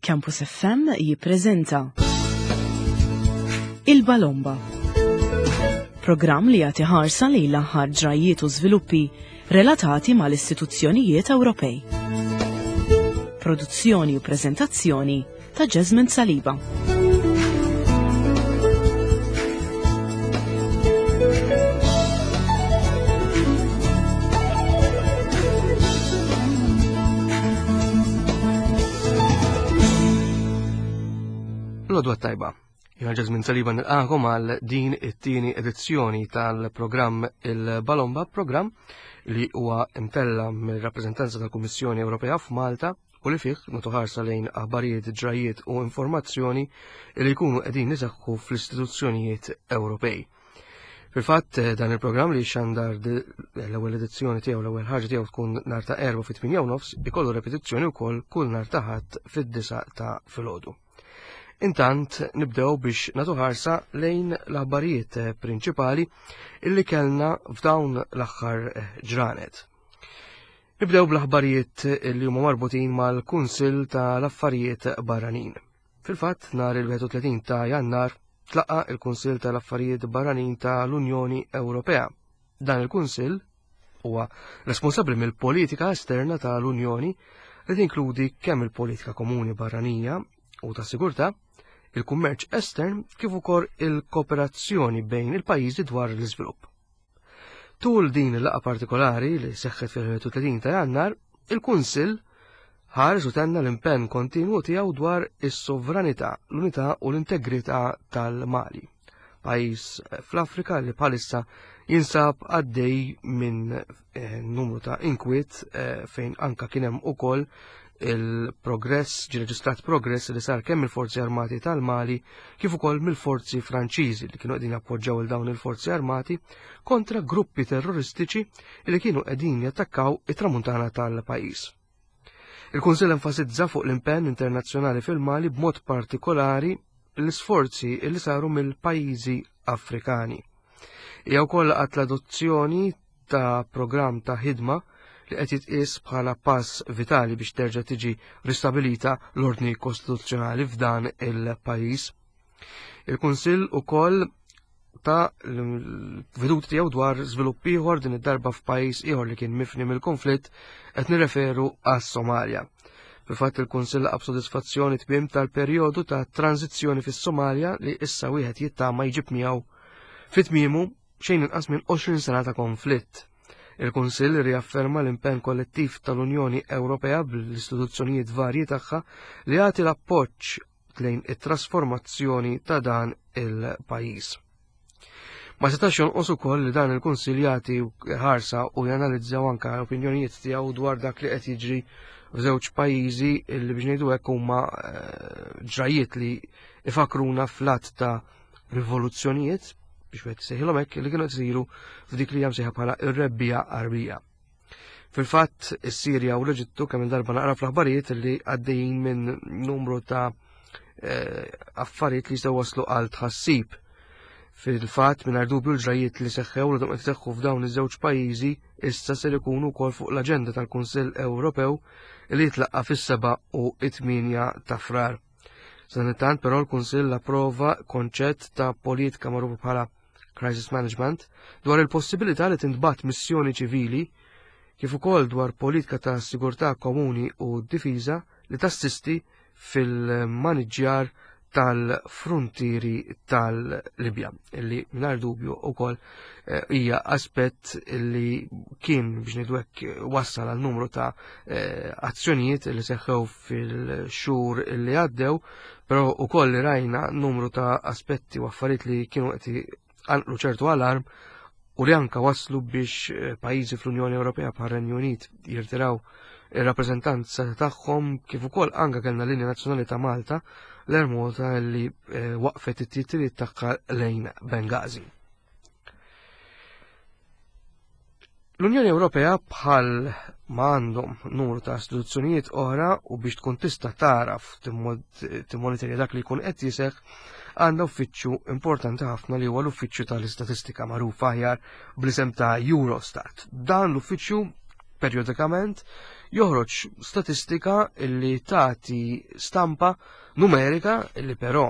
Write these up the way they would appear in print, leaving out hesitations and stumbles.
Campus FM jippreżenta Il-Balomba. Programm li jagħti ħarsa lejn l-aħħar ġrajjiet u żviluppi relatati mal-istituzzjonijiet Ewropej. Produzzjoni u preżentazzjoni ta' Jasmine Saliba. L-odwa tajba. Jena Jasmine Saliba nilqakom għal din it-tieni edizzjoni tal-programm Il-Balomba, programm li huwa imtella mill-rappreżentanza tal-Kummissjoni Ewropea f'Malta u li fih nagħtu ħarsa lejn aħbarijiet, ġrajjiet u informazzjoni li jkunu qegħdin iseħħu fl-istituzzjonijiet Ewropej. Fil-fatt eh, dan il-programm li xandar l-ewwel edizzjoni tiegħu l-ewwel ħaġa tiegħu tkun nar ta' erba' fit-8 nofs ikollu repetizzjoni wkoll kull nar ta' ħadd fid-disa ta' filgħodu. Intant nibdew biex nagħtu ħarsa lejn l-aħbarijiet eh, prinċipali illi kellna f'dawn l-aħħar eh, ġranet. Nibdew bl-aħbarijiet li huma marbutin mal-Kunsill tal-Affarijiet Barranin. Fil-fatt, nhar il-31 ta' Jannar tlaqa' il-Kunsill tal-Affarijiet Barranin tal-Unjoni Ewropea. Dan il-Kunsill huwa responsabbli mill-politika esterna tal-Unjoni li tinkludi kemm il-politika komuni barranija u ta' sigurtà, il-kummerċ estern kif ukoll il-kooperazzjoni bejn il-pajjiżi dwar l-iżvilupp. Tul din il-laqgħa partikolari li seħħet fil-31 ta' Jannar, il-Kunsill ħares u tenna l-impenn kontinwu tiegħu dwar is-sovranità, l-unità u l-integrità tal-Mali, pajjiż fl-Afrika li bħalissa jinsab għaddej minn eh, numru ta' inkwiet eh, fejn anka kien hemm ukoll il-progress, ġi reġistrat progress li sar kemm il-forzi armati tal-Mali kif ukoll mill-forzi Franċiżi li kienu qegħdin jappoġġaw il dawn il-forzi armati kontra gruppi terroristiċi li kienu qegħdin jattakkaw it-tramuntana tal-pajjiż. Il-Kunsill enfasizza fuq l-impenn internazzjonali fil-Mali b'mod partikolari l-isforzi li saru mill-pajjiżi Afrikani. Hija wkoll laqgħet l-adozzjoni ta' programm ta' ħidma li qed jitqies bħala pass vitali biex terġa' tiġi ristabilita l-ordni kostituzzjonali f'dan il-pajjiż. Il-Kunsill ukoll ta' l-veduti tiegħu dwar żvilupp ieħor din id-darba f'pajjiż ieħor li kien mifni mill-konflitt qed nirreferu għas-Somalja. Fil-fatt il-Kunsill laqab sodisfazzjoni tmiem tal-perjodu ta' tranzizzjoni fis-Somalja li issa wieħed jittama jġib miegħu fit-tmiemu xejn inqas minn 20 sena ta' konflitt. Il-Kunsill riafferma l-impenn kollettiv tal-Unjoni Ewropea bl-istituzzjonijiet varji tagħha li jagħti l-appoġġ lejn it-trasformazzjoni ta' dan il-pajjiż. Ma setax jonqos ukoll li dan il-Kunsill jagħti ħarsa u janalizzaw anke l-opinjonijiet tiegħu dwar dak li qed jiġri f'żewġ pajjiżi li biex ngħidu hekk huma eh, ġrajiet li ifakruna fl-att ta' rivoluzzjonijiet biex wieħed sejħilhom hekk li kienu qed isiru f'dik li hija msejħa bħala r-rebbija Qarbija. Fil-fatt, is-Sirja u l-Eġittu kemm il-darba naqra fl-aħbarijiet li għaddejjin minn numru ta' eh, affarijiet li jistgħu waslu għal tħassib. Fil-fatt, mingħajr dubju l-ġrajiet li seħħew li qed seħħu f'dawn iż-żewġ pajjiżi issa ser ikunu wkoll fuq l-aġenda tal-Kunsill Ewropew li jitlaqqa fis-7 u 8 ta' Frar. Sanittant però l-Kunsill approva konċett ta' politika magħrufa bħala crisis management dwar il-possibilità li tintbagħat missjoni ċivili kif ukoll dwar politika ta' sigurtà komuni u difiża li tassisti fil-maniġġjar tal-frontieri tal-Libja, illi mingħajr dubju wkoll eh, hija aspett li kien biex ngħidu hekk wassal għal numru ta' eh, azzjonijiet li seħħew fil-xhur li għaddew, però ukoll li rajna numru ta' aspetti u affarijiet li kienu qed għanqlu ċertu alarm u li anka waslu biex eh, pajjiżi fl-Unjoni Ewropea bħal Renju Unit jirtiraw ir-rappreżentanza tagħhom kif ukoll anka kellna linja nazzjonali ta' Malta l-Air Malta li eh, waqfet it-titjiriet tagħha lejn Bengazi. L-Unjoni Ewropea bħal ma għandhom numru ta' istituzzjonijiet oħra u biex tkun tista' taraf timmonitorja dak li jkun qed jiseħ għandha uffiċċju importanti ħafna li huwa l-Uffiċċju tal-Istatistika magħruf aħjar bl-isem ta' Eurostat. Dan l-uffiċċju perjodikament joħroġ statistika li tagħti stampa numerika li però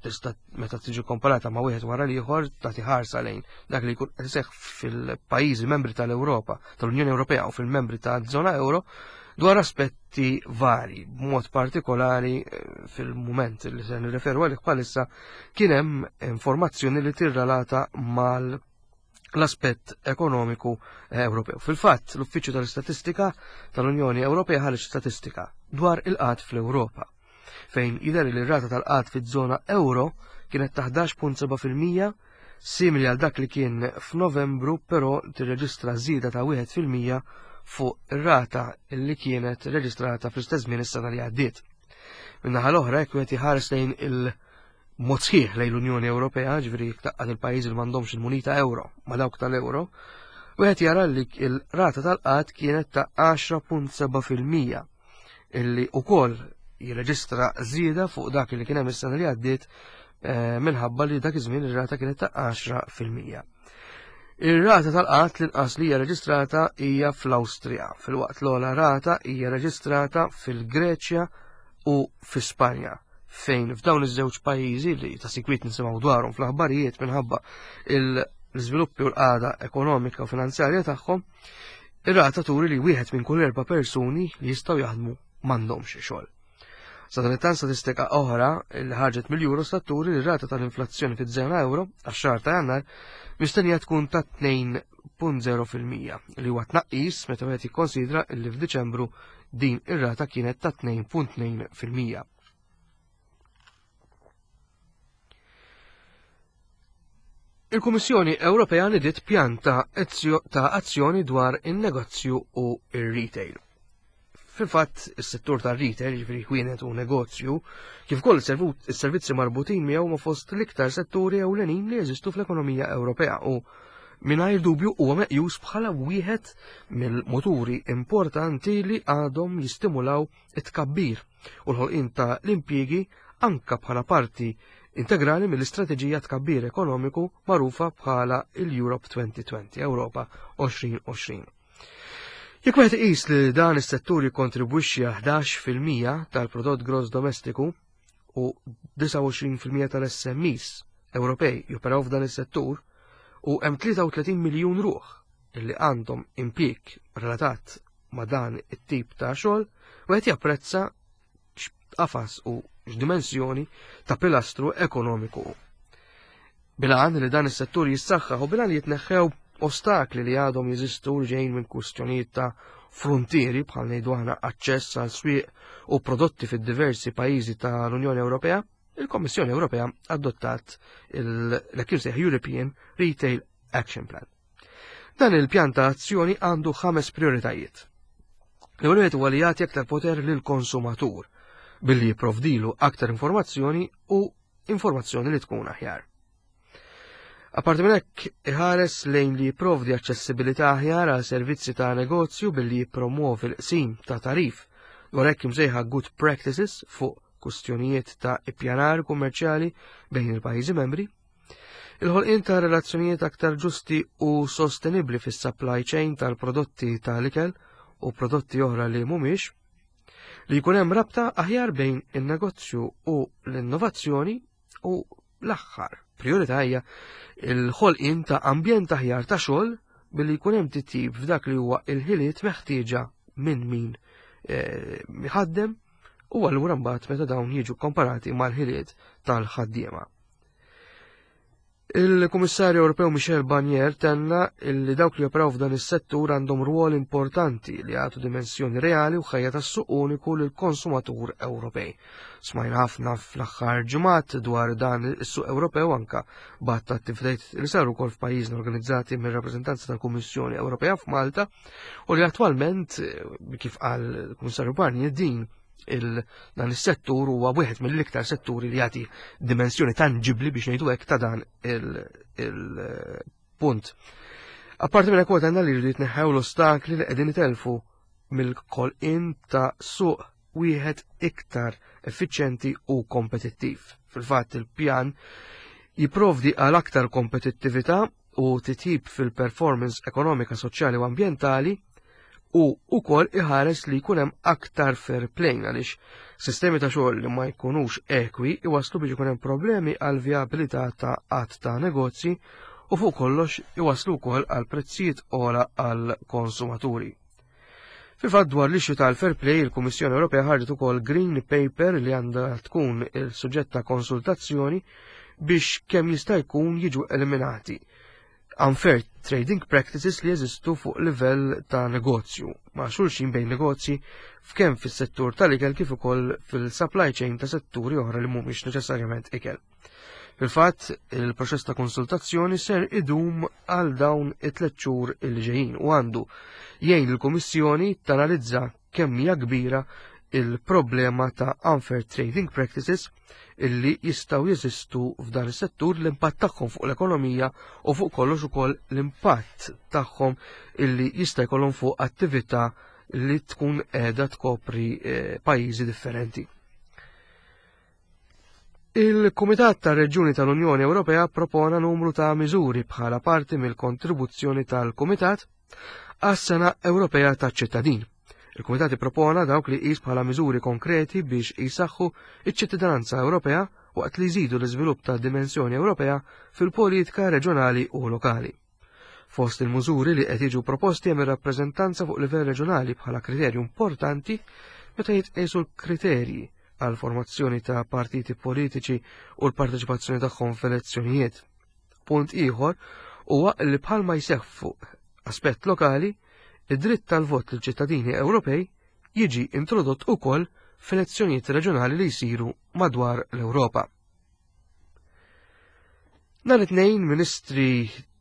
tista' meta tiġi komparata ma' wieħed wara l-ieħor tagħti ħarsa lejn dak li jkun qed iseħħ fil-pajjiżi membri tal-Ewropa, tal-Unjoni Ewropea u fil-membri taż-żona euro dwar aspetti vari, b'mod partikolari eh, fil-mument li se nirreferu għalih bħalissa kien hemm informazzjoni li tirrelata mal l-aspett ekonomiku eh, Ewropew. Fil-fatt, l-Uffiċċju tal-Istatistika tal-Unjoni Ewropea ħareġ statistika dwar il-qgħad fl-Ewropa, fejn jidher li r-rata tal-qgħad fiż-żona euro kienet ta' 11.7% simili għal dak li kien f'Novembru, però tirreġistra żieda ta' 1% fuq ir-rata li kienet reġistrata fl-istess żmien is-sena li għaddiet. Min-naħa l-oħra, jekk wieħed iħares lejn il- mod sħiħ lejn l-Unjoni Ewropea, ġifieri jekk taqqad il-pajjiżi li m'għandhomx il-munita euro ma' dawk tal-euro, wieħed jara li l-rata tal-qgħad kienet ta' 10.7% illi wkoll jirreġistra żieda fuq dak li kien hemm is-sena li għaddiet eh, minħabba li dak iż-żmien ir-rata kienet ta' 10%. Ir-rata tal-qgħad l-inqas li hija reġistrata hija fl-Awstrija, filwaqt l-ogħla rata hija reġistrata fil-Greċja u fi Spanja fejn f'dawn iż-żewġ pajjiżi li ta' sikwit nisimgħu dwarhom fl-aħbarijiet minħabba l-iżviluppi u l-qagħda ekonomika u finanzjarja tagħhom, ir-rata turi li wieħed minn kull erba' persuni li jistgħu jaħdmu m'għandhomx xogħol. Sadanittant statistika oħra li ħarġet mill-Eurostat turi li r-rata tal-inflazzjoni fiż-żona euro għax-xahar ta' Jannar mistennija tkun ta' 2.0% li huwa tnaqqis meta wieħed jikkonsidra li f'Diċembru Din ir-rata kienet ta' 2.2%. Il-Kummissjoni Ewropea nidiet pjan ta' azzjoni dwar in-negozju u ir-retail. Fil-fatt, is-settur tar-retail, jiġifieri ħwienet u negozju, kif ukoll is-servizzi marbutin miegħu ma fost l-iktar setturi ewlenin li jeżistu fl-ekonomija Ewropea u mingħajr dubju huwa meqjus bħala wieħed mill-muturi importanti li għadhom jistimulaw it-tkabbir u l-ħolqien ta' l-impjiegi anka bħala parti integrali mill-istrateġija tkabbir ekonomiku magħrufa bħala l-Europe 2020, Ewropa 2020. Jekk wieħed iqis li dan is-settur jikkontribwixxi għal 11% tal-prodott gross domestiku u 29% tal-SMEs Ewropej joperaw f'dan is-settur u hemm 33 miljun ruħ illi għandhom impjieg relatat ma' dan it-tip ta' xogħol, wieħed japprezza x'qafas u x'dimensjoni ta' pilastru ekonomiku. Bilan li dan is-settur jissaħħaħ u bilan li jitneħħew ostakli li għadhom jeżistu li ġejjin minn kwistjonijiet ta' fruntieri bħal ngħidu aħna aċċess għal swieq u prodotti fid-diversi pajjiżi tal-Unjoni Ewropea, il-Kommissjoni Ewropea adottat l-hekk European Retail Action Plan. Dan il-pjan ta' azzjoni għandu ħames prioritajiet. L-ewwel wieħed huwa li jagħti aktar poter lill-konsumatur billi jipprovdilu aktar informazzjoni u informazzjoni li tkun aħjar. Apparti minn hekk iħares lejn li jipprovdi aċċessibilità aħjar għal servizzi ta' negozju billi jippromuovi l-qsim ta' tarif dwar hekk imsejħa good practices fuq kustjonijiet ta' ippjanar kummerċjali bejn il-pajjiżi membri, il-ħolqien ta' relazzjonijiet aktar ġusti u sostenibbli fis-supply chain tal-prodotti tal-ikel u prodotti oħra li mhumiex, li jkun hemm rabta aħjar bejn in-negozju u l-innovazzjoni u l-aħħar priorità hija l-ħolqien ta' ambjent aħjar ta' xogħol billi jkun hemm titjib f'dak li huwa il-ħiliet meħtieġa minn min eh, ħaddem u allura mbagħad meta dawn jiġu komparati mal-ħiliet tal-ħaddiema. Il-Kummissarju Ewropew Michel Barnier tenna li dawk li joperaw f'dan is-settur għandhom rwol importanti li jagħtu dimensjoni reali u ħajja tas-suq uniku lill-konsumatur Ewropej. Smajna ħafna fl-aħħar ġimgħat dwar dan is-suq Ewropew anka b'għadd ta' attivitajiet li saru wkoll f'pajjiżna organizzati mir-rappreżentanza tal-Kummissjoni Ewropea f'Malta u li attwalment kif qal il-Kummissarju Barnier din dan is-settur huwa wieħed mill-iktar setturi li jagħti dimensjoni tanġibli biex ngħidu hekk ta' dan il-punt. Apparti minn hekk għandna li jridu jitneħħew l-ostakli li qegħdin itelfu mill-kolqien ta' suq wieħed iktar effiċjenti u kompetittiv. Fil-fatt il-pjan jipprovdi għal aktar kompetittività u titjib fil-performance ekonomika, soċjali u ambjentali. u wkoll iħares li jkun hemm aktar fair play għaliex sistemi ta' xogħol li ma jkunux ekwi iwasslu biex ikun hemm problemi għal vijabilità ta' qatt ta' negozji u fuq kollox iwasslu wkoll għal prezzijiet ogħla għal konsumaturi. Fil-fatt dwar l-issue tal-fair play, il-Kummissjoni Ewropea ħarġet ukoll Green Paper li għandha tkun il-suġġett ta' konsultazzjoni biex kemm jista' jkun jiġu eliminati unfair trading practices li jeżistu fuq livell ta' negozju ma' xulxin bejn negozji f'kemm fis-settur tal-ikel kif ukoll fil-supply chain ta' setturi oħra li mhumiex neċessarjament ikel. Fil-fatt, il-proċess ta' konsultazzjoni ser idum għal dawn it-tliet xhur il ġejjin u għandu jgħin il-Kummissjoni tanalizza kemm hija kbira il-problema ta' unfair trading practices illi jistgħu jeżistu f'dan is-settur, l-impatt tagħhom fuq l-ekonomija u fuq kollox ukoll l-impatt tagħhom illi jista' jkollhom fuq attività li tkun qiegħda tkopri eh, pajjiżi differenti. Il-Kumitat tar-Reġjuni tal-Unjoni Ewropea propona numru ta' miżuri bħala parti mill-kontribuzzjoni tal-Kumitat għas-Sena Ewropea taċ-Ċittadin. Il-Kumitat ippropona dawk li qis bħala miżuri konkreti biex jisaħħu iċ-ċittadinanza Ewropea waqt li jżidu l-iżvilupp ta' dimensjoni Ewropea fil-politika reġjonali u lokali. Fost il-mużuri li qed jiġu proposti hemm ir-rappreżentanza fuq livell reġjonali bħala kriterju importanti meta jitqiesu l-kriterji għal formazzjoni ta' partiti politiċi u l-parteċipazzjoni tagħhom f'elezzjonijiet. Punt ieħor huwa li bħalma jseħħ fuq aspett lokali, id-dritt tal-vot lil ċittadini Ewropej jiġi introdott ukoll f'elezzjonijiet reġjonali li jsiru madwar l-Ewropa. Nhar it-tnejn ministri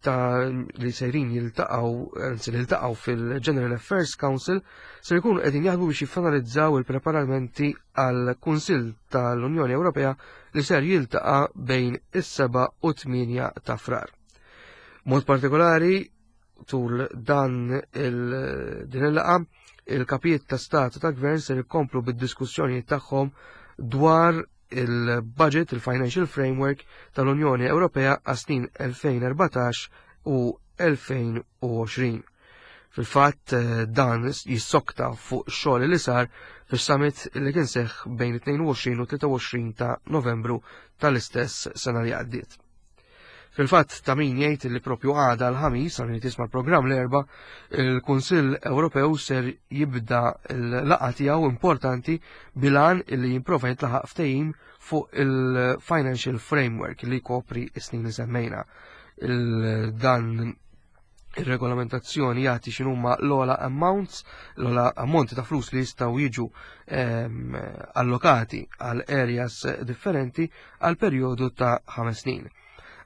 ta' li sejrin jiltaqgħu, anzi li ltaqgħu fil-General Affairs Council se jkunu qegħdin jaħdmu biex jiffinalizzaw il-preparamenti għal Kunsill tal-Unjoni Ewropea li ser jiltaqa' bejn is-7 u 8 ta' Frar. Mod partikolari tul dan il-din il-laqa il-kapijiet ta' stat u ta' gvern ser ikomplu bid-diskussjoni tagħhom dwar il-budget, il-financial framework tal-Unjoni Ewropea għas-snin 2014 u 2020. Fil-fatt eh, dan jissokta fuq xogħol li sar fis-summit li kien seħħ bejn 22 u 23 ta' Novembru tal-istess sena li għaddiet. Fil-fatt ta' min jgħid li propju għada l-ħamis għal min tisma' l-programm l-erba, il-Kunsill Ewropew ser jibda l-laqgħa tiegħu importanti bilan li jimprova jintlaħaq ftehim fuq il-financial framework li jkopri s-snin li semmejna. Dan ir-regolamentazzjoni jagħti x'inhuma l-ogħla amounts, l-ogħla ammonti ta' flus li jistgħu jiġu ehm, allokati għal areas differenti għal perjodu ta' ħames snin.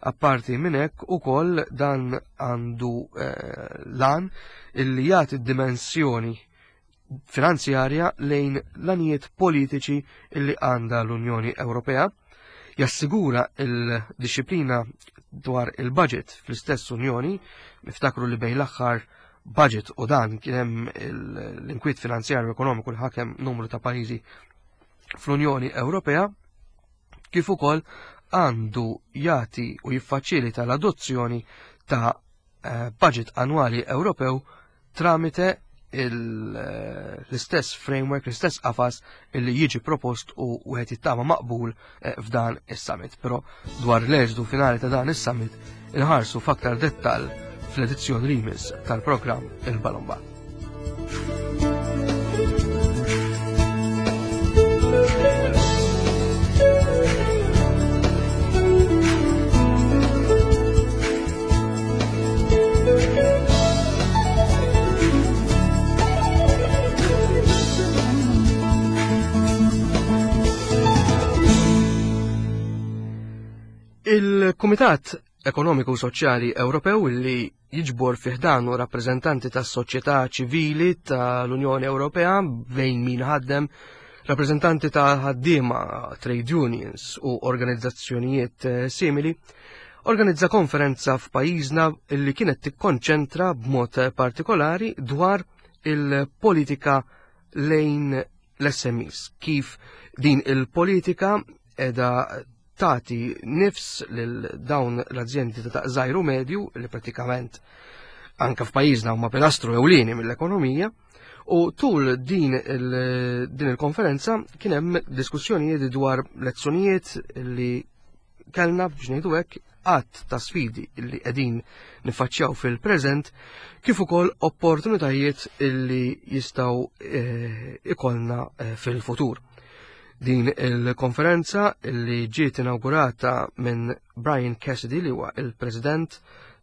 Apparti minn hekk ukoll dan għandu eh, lan illi jagħti dimensjoni finanzjarja lejn l-anijiet politiċi illi għandha l-Unjoni Ewropea, jassigura il-disciplina dwar il-budget fl-istess Unjoni, niftakru li bejn l-aħħar budget u dan kien hemm l-inkwiet finanzjarju ekonomiku li ħakem numru ta' pajjiżi fl-Unjoni Ewropea, kif ukoll għandu jagħti u jiffaċilita l-adozzjoni ta' eh, budget annwali Ewropew tramite eh, l-istess framework, l-istess qafas illi jiġi propost u wieħed jittama maqbul eh, f'dan is-summit. Però dwar l-eżdu finali ta' dan is-summit inħarsu f'aktar dettall fl-edizzjoni li jmiss tal-programm Il-Balomba. Il-Kumitat Ekonomiku u Soċjali Ewropew li jiġbor fih dan u rappreżentanti tas-soċjetà ċivili tal-Unjoni Ewropea bejn min ħaddem, rappreżentanti ta' ħaddiema, trade unions u organizzazzjonijiet eh, simili, organizza konferenza f'pajjiżna li kienet tikkonċentra b'mod partikolari dwar il-politika lejn l-SMEs, kif din il-politika edha tagħti nifs lil dawn l-azjendi ta' daqs żgħir u medju li pratikament anke f'pajjiżna huma pilastru ewlieni mill-ekonomija. U tul din il-konferenza kien hemm diskussjonijiet dwar lezzjonijiet li kellna biex ngħidu hekk għadd ta' sfidi li qegħdin nifaċċjaw fil-preżent kif ukoll opportunitajiet li jistgħu eh, ikollna eh, fil-futur. Din il-konferenza li ġiet inaugurata minn Brian Cassidy li huwa il-President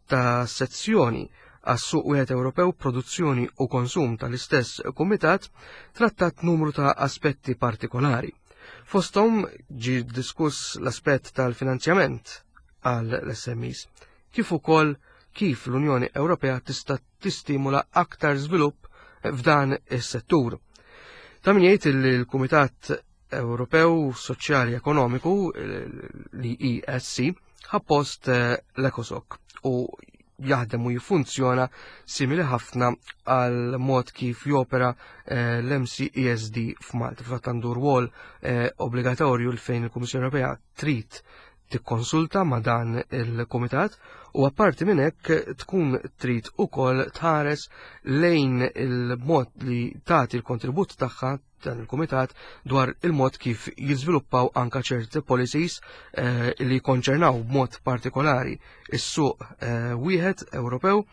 ta' sezzjoni għas-suq wieħed Ewropew produzzjoni u konsum tal-istess kumitat trattat numru ta' aspetti partikolari. Fosthom ġie diskuss l-aspett tal-finanzjament għal l-SMEs, kif ukoll kif l-Unjoni Ewropea tista' tistimula aktar żvilupp f'dan is-settur. Ta' min jgħid li l-Kumitat Ewropew Soċjali Ekonomiku, l-ESC, ħa post eh, l-ECOSOC u jaħdem u jiffunzjona simili ħafna għal mod kif jopera eh, l-MCESD f'Malta. Fatt għandu rwol eh, obbligatorju l fejn il-Kummissjoni Ewropea trid tikkonsulta ma' dan il-komitat u apparti minn hekk tkun trid ukoll tħares lejn il-mod li tagħti l-kontribut tagħha dan il-kumitat dwar il-mod kif jiżviluppaw anka ċerti policies eh, li konċernaw b'mod partikolari is-suq eh, wieħed Ewropew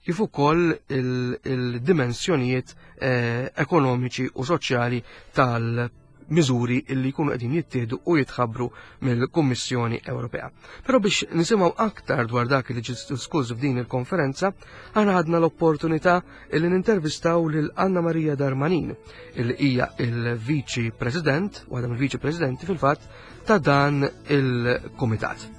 kif ukoll il-dimensjonijiet eh, ekonomiċi u soċjali tal miżuri li jkunu qegħdin jittieħdu u jitħabbru mill-Kummissjoni Ewropea. Però biex nisimgħu aktar dwar dak li ġie diskuss f'din il-konferenza, aħna ħadna l-opportunità li nintervistaw lil Anna Maria Darmanin, li hija il-Viċi President, waħda mill-Viċi Presidenti fil-fatt, ta' dan il-Kumitat.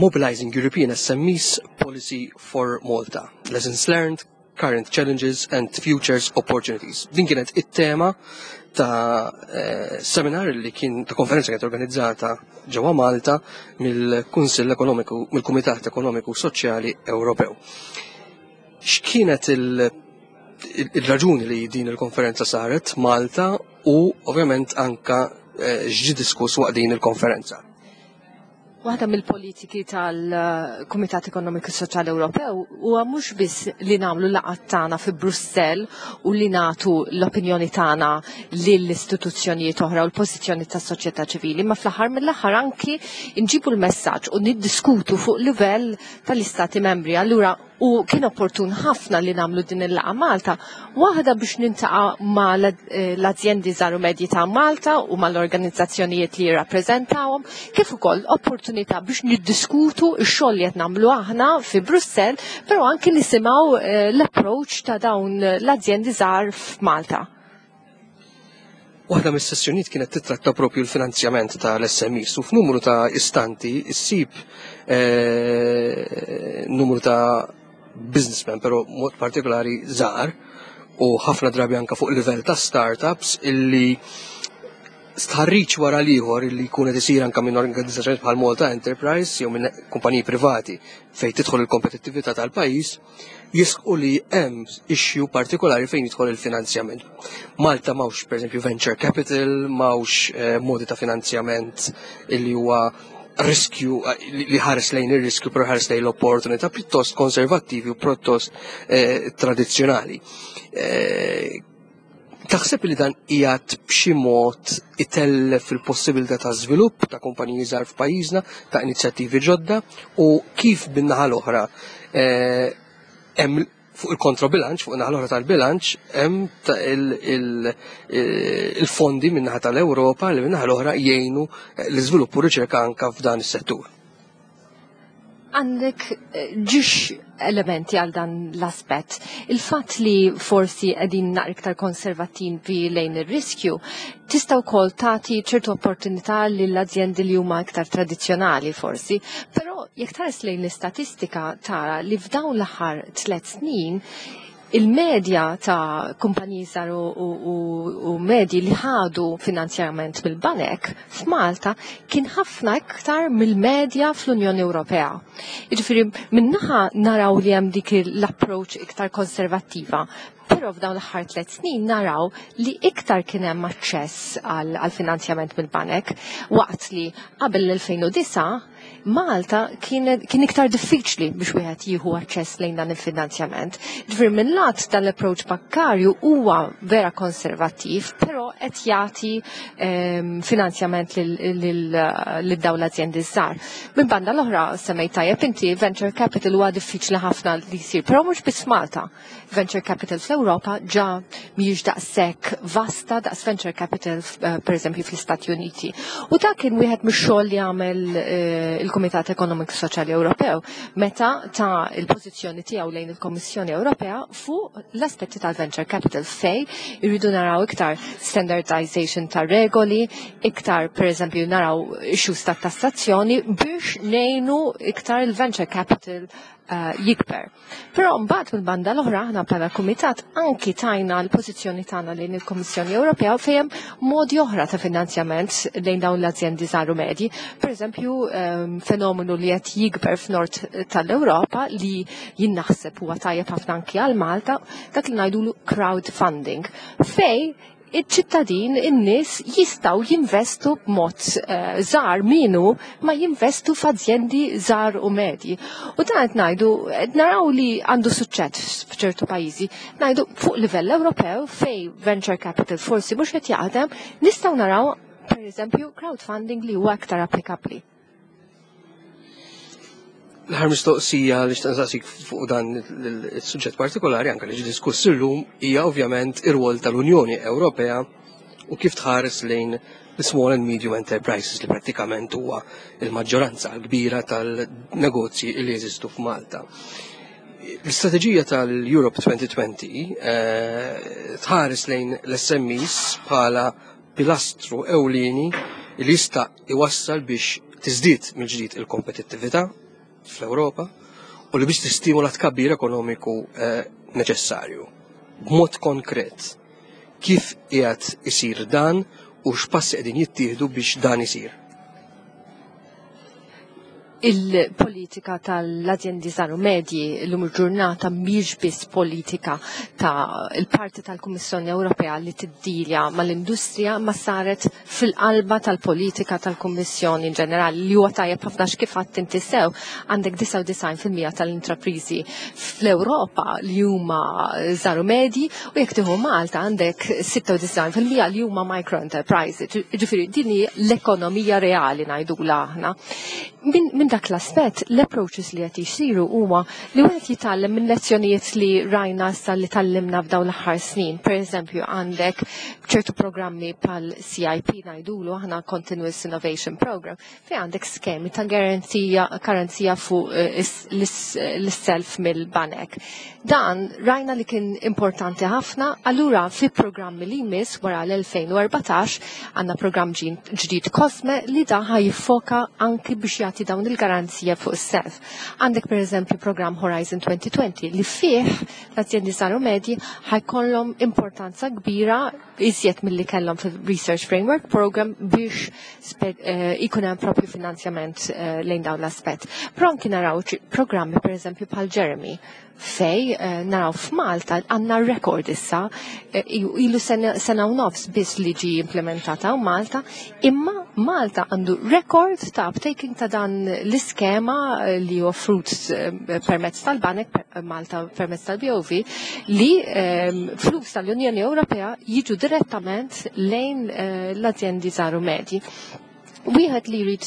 Mobilizing European SMEs Policy for Malta. Lessons learned, current challenges and futures opportunities. Din kienet it-tema ta' eh, seminar li kien ta' konferenza kienet organizzata ġewwa Malta mill-Kunsill Ekonomiku, mill-Kumitat Ekonomiku Soċjali Ewropew. X'kienet il-raġuni li din il-konferenza saret Malta u ovvjament anka eh, x'ġi diskuss waqt din il-konferenza? Waħda mill-politiki tal-Kumitat Ekonomiku Soċjali Ewropew huwa mhux biss li nagħmlu laqgħat tagħna fi Brussell u li nagħtu l-opinjoni tagħna lill-istituzzjonijiet oħra u l-pożizzjoni tas-soċjetà ċivili, ma fl-aħħar mill-aħħar anki nġibu l-messaġġ u niddiskutu fuq livell tal-Istati membri. Allura u kien opportun ħafna li nagħmlu din il-laqgħa Malta, waħda biex nintaqa' ma' eh, l-azjendi żgħar u medji ta' Malta u mal-organizzazzjonijiet li jirrappreżentawhom, kif ukoll opportunità biex niddiskutu x-xogħol li qed nagħmlu aħna fi Brussell, però anki nisimgħu eh, l-approach ta' dawn l-azjendi żgħar f'Malta. Waħda mis-sessjonijiet kienet titratta propju l-finanzjament tal-SMEs u f'numru ta' istanti issib eh, numru ta' businessmen, però mod partikolari żgħar u ħafna drabi anka fuq livell ta' startups illi stħarriċ wara l-ieħor illi jkun qed isir anka minn organizzazzjonijiet bħal Malta Enterprise jew minn kumpaniji privati fejn tidħol il-kompetittività tal-pajjiż jisqu li hemm issue partikolari fejn jidħol il-finanzjament. Malta mawx pereżempju venture capital, mawx eh, modi ta' finanzjament illi huwa riskju eh, li ħares lejn ir-riskju però ħares lejn l-opportunità pjuttost konservattivi u pjuttost eh, tradizzjonali. Eh, Taħseb li dan qiegħed b'xi mod itellef il-possibilità ta' żvilupp ta' kumpaniji żgħar f'pajjiżna, ta' inizjattivi ġodda u kif bin-naħa l-oħra eh, hemm fuq il-kontrobilanċ, fuq naħa l-oħra tal-bilanċ, hemm il-fondi min naħa tal-Ewropa li min-naħa l-oħra jgħinu l-iżvilupp u riċerka anka f'dan is-settur. Għandek eh, ġiex elementi għal dan l-aspett. Il-fatt li forsi qegħdin naqra iktar konservattivi lejn ir-riskju, tista' wkoll tagħti ċertu opportunità lill azjendi li huma iktar tradizzjonali forsi, però jekk tħares lejn l-istatistika tara li f'dawn l-aħħar tliet snin il-medja ta' kumpaniji żgħar u medji li ħadu finanzjament mill-banek f'Malta kien ħafna iktar mill-medja fl-Unjoni Ewropea. Jiġifieri minnaħa naraw li hemm dik l-approach iktar konservattiva, però f'dawn l-aħħar tliet snin naraw li iktar kien hemm aċċess għal finanzjament mill-banek waqt li qabel l-2009. Malta kien iktar diffiċli biex wieħed jieħu aċċess lejn dan il-finanzjament. Ġifier minn lat dan l-approach bankarju huwa vera konservattiv, però qed jagħti finanzjament lil dawn l-azjendi żgħar. Minn banda l-oħra semmejt tajjeb inti venture capital huwa diffiċli ħafna li jsir, però mhux biss Malta. Venture capital fl-Ewropa ġa mhijiex daqshekk vasta daqs venture capital pereżempju fl-Istati Uniti. U dak kien wieħed mix-xogħol li għamel il-Kumitat Ekonomiku Soċjali Ewropew meta ta' il-pożizzjoni tiegħu lejn il-Kommissjoni Ewropea fuq l-aspetti tal-venture capital fej irridu naraw iktar standardization ta' regoli, iktar pereżempju naraw issues ta' tassazzjoni biex ngħinu iktar il-venture capital jikber. Però mbagħad mill-banda l-oħra aħna bħala kumitat anki tajna l-pożizzjoni tagħna lejn il-Kummissjoni Ewropea fejn hemm modi oħra ta' finanzjament lejn dawn l-azjendi żgħar u medji. Pereżempju, fenomenu li qed jikber f'nord tal-Ewropa li jien naħseb huwa tajjeb ħafna anki għal Malta, dak li ngħidulu crowdfunding, fej iċ-ċittadin, in-nies jistgħu jinvestu b'mod żgħar minu ma jinvestu f'azjendi żgħar u medji. U dan qed ngħidu, qed naraw li għandu suċċess f'ċertu pajjiżi. Ngħidu fuq livell Ewropew fej venture capital forsi mhux qed jaħdem, nistgħu naraw pereżempju crowdfunding li huwa aktar applikabbli. L-aħħar mistoqsija li xtaqt nsaqsik fuq dan il-suġġett partikolari anke li ġie diskuss illum hija ovvjament ir-rwol tal-Unjoni Ewropea u kif tħares lejn l-small and medium enterprises li prattikament huwa il-maġġoranza l-kbira tal-negozji li jeżistu f'Malta. L-istrateġija tal-Europe 2020 tħares lejn l-SMEs bħala pilastru ewlieni li jista' iwassal biex tiżdied mill-ġdid il-kompetittività fl-Ewropa u li biex tistimola tkabbir ekonomiku neċessarju. B'mod konkret, kif qiegħed isir dan u x'passi qegħdin jittieħdu biex dan isir? Il-politika tal-azjendi żgħar u medji llum il-ġurnata mhijiex biss politika ta' il-parti tal-Kummissjoni Ewropea li tiddilja mal-industrija, ma saret fil-qalba tal-politika tal-Kummissjoni in ġenerali, li huwa tajjeb ħafna kif għadt inti sew, għandek 99% tal-intrapriżi fl-Ewropa li huma żgħar u medji, u jekk tieħu Malta għandek 96% li huma micro enterprises. Ġifieri din hi l-ekonomija reali ngħidulha aħna. Min dak l-aspett, l-approaches li qed jsiru huwa li wieħed jitgħallem minn lezzjonijiet li rajna issa li tallimna f'dawn l-aħħar snin. Per eżempju, għandek ċertu programmi bħal CIP ngħidulu aħna Continuous Innovation Program, fejn għandek skemi ta' garanzija fuq l-self mill-banek. Dan rajna li kien importanti ħafna, allura fi programmi li jmiss wara l-2014 għandna programm ġdid Cosme li dan ħa jiffoka anki biex jagħti dawn il-garanzija fuq is-self. Għandek per eżempju programm Horizon 2020 li fih l-azjendi żgħar u medji ħajkollhom importanza kbira iżjed milli kellhom fil-Research Framework Program biex ikun hemm propju finanzjament lejn dawn l-aspett. Però anki naraw programmi per eżempju bħal Jeremy, fej naraw f'Malta għandna rekord issa, ilu sena u nofs biss li ġi implementata u Malta, imma Malta għandu rekord ta' uptaking ta' dan l-iskema li offrut permezz tal-Banek, Malta permezz tal-BOV, li flus tal-Unjoni Ewropea jiġu direttament lejn l-azjendi żgħar u medji. Wieħed li jrid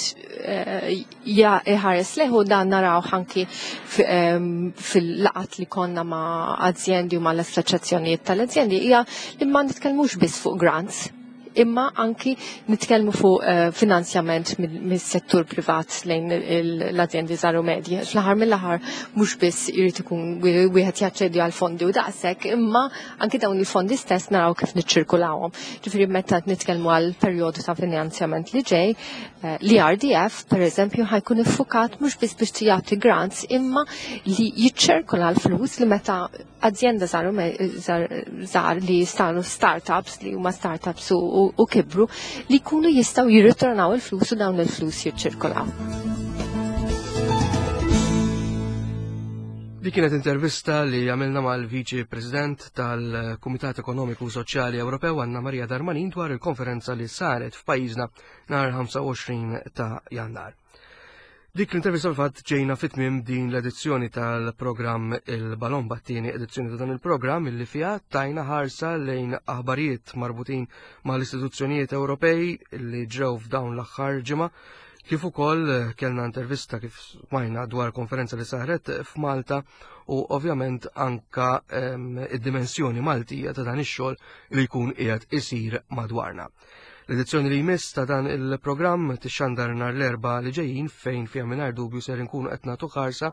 iħares leħu dan naraw anki fil-laqat li konna ma' azjendi u ma' l-assoċjazzjonijiet tal-azjendi hija li ma nitkellmux biss fuq grants, imma anki nitkellmu fuq finanzjament mis-settur privat lejn l-azjendi żgħar u medji. Fl-aħħar mill-aħħar mhux biss irid ikun wieħed jaċċedi għal fondi u daqshekk, imma anki dawn il-fondi stess naraw kif niċċirkulawhom. Ġifieri meta nitkellmu għal perjodu ta' finanzjament li ġej, l-RDF per eżempju ħajkun iffukat mhux biss biex jagħti grants, imma li jiċċirkula l-flus li meta azjenda żgħar li saru startups, li huma startups u kibru, li jkunu jistgħu jirritornaw il-flus u dawn il-flus jiċċirkolaw. Dik kienet intervista li għamilna mal-Viċi President tal-Kumitat Ekonomiku Soċjali Ewropew Anna Maria Darmanin dwar il-konferenza li saret f'pajjiżna nhar 25 ta' Jannar. Dik l-intervista fil-fatt ġejna fit-tmiem din l-edizzjoni tal-programm Il-Balomba, t-tieni edizzjoni ta' dan il-programm illi fiha tajna ħarsa lejn aħbarijiet marbutin mal-istituzzjonijiet Ewropej li ġrew f'dawn l-aħħar ġimgħa, kif ukoll kellna intervista kif smajna dwar konferenza li saret f'Malta u ovvjament anka id-dimensjoni Maltija ta' dan ix-xogħol li jkun qiegħed isir madwarna. L-edizzjoni li jmiss ta' dan il-programm tixxandar nhar l-Erbgħa li ġejjin fejn fiha mingħajr dubju ser inkunu qed nagħtu ħarsa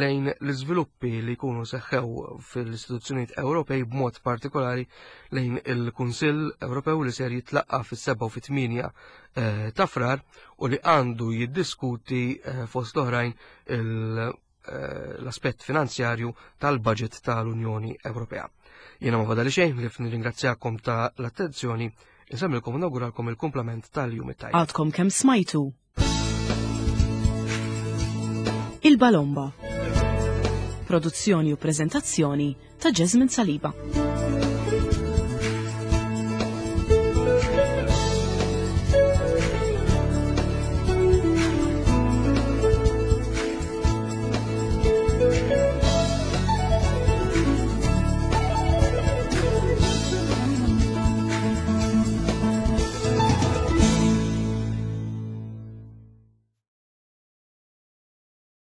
lejn l-iżviluppi li jkunu seħħew fil-istituzzjonijiet Ewropej b'mod partikolari lejn il-Kunsill Ewropew li ser jitlaqqa fis-7 u fit-8 eh, ta' Frar u li għandu jiddiskuti eh, fost l-oħrajn Eh, l-aspett finanzjarju tal-budget tal-Unjoni Ewropea. Jiena ma fadali xejn li nirringrazzjakom ta' l-attenzjoni, insemmilkom u nawguralkom il-kumplament tal-jum it-tajjeb. Għadkom kemm smajtu. Il-Balomba. Produzzjoni u prezentazzjoni ta' Jasmine Saliba.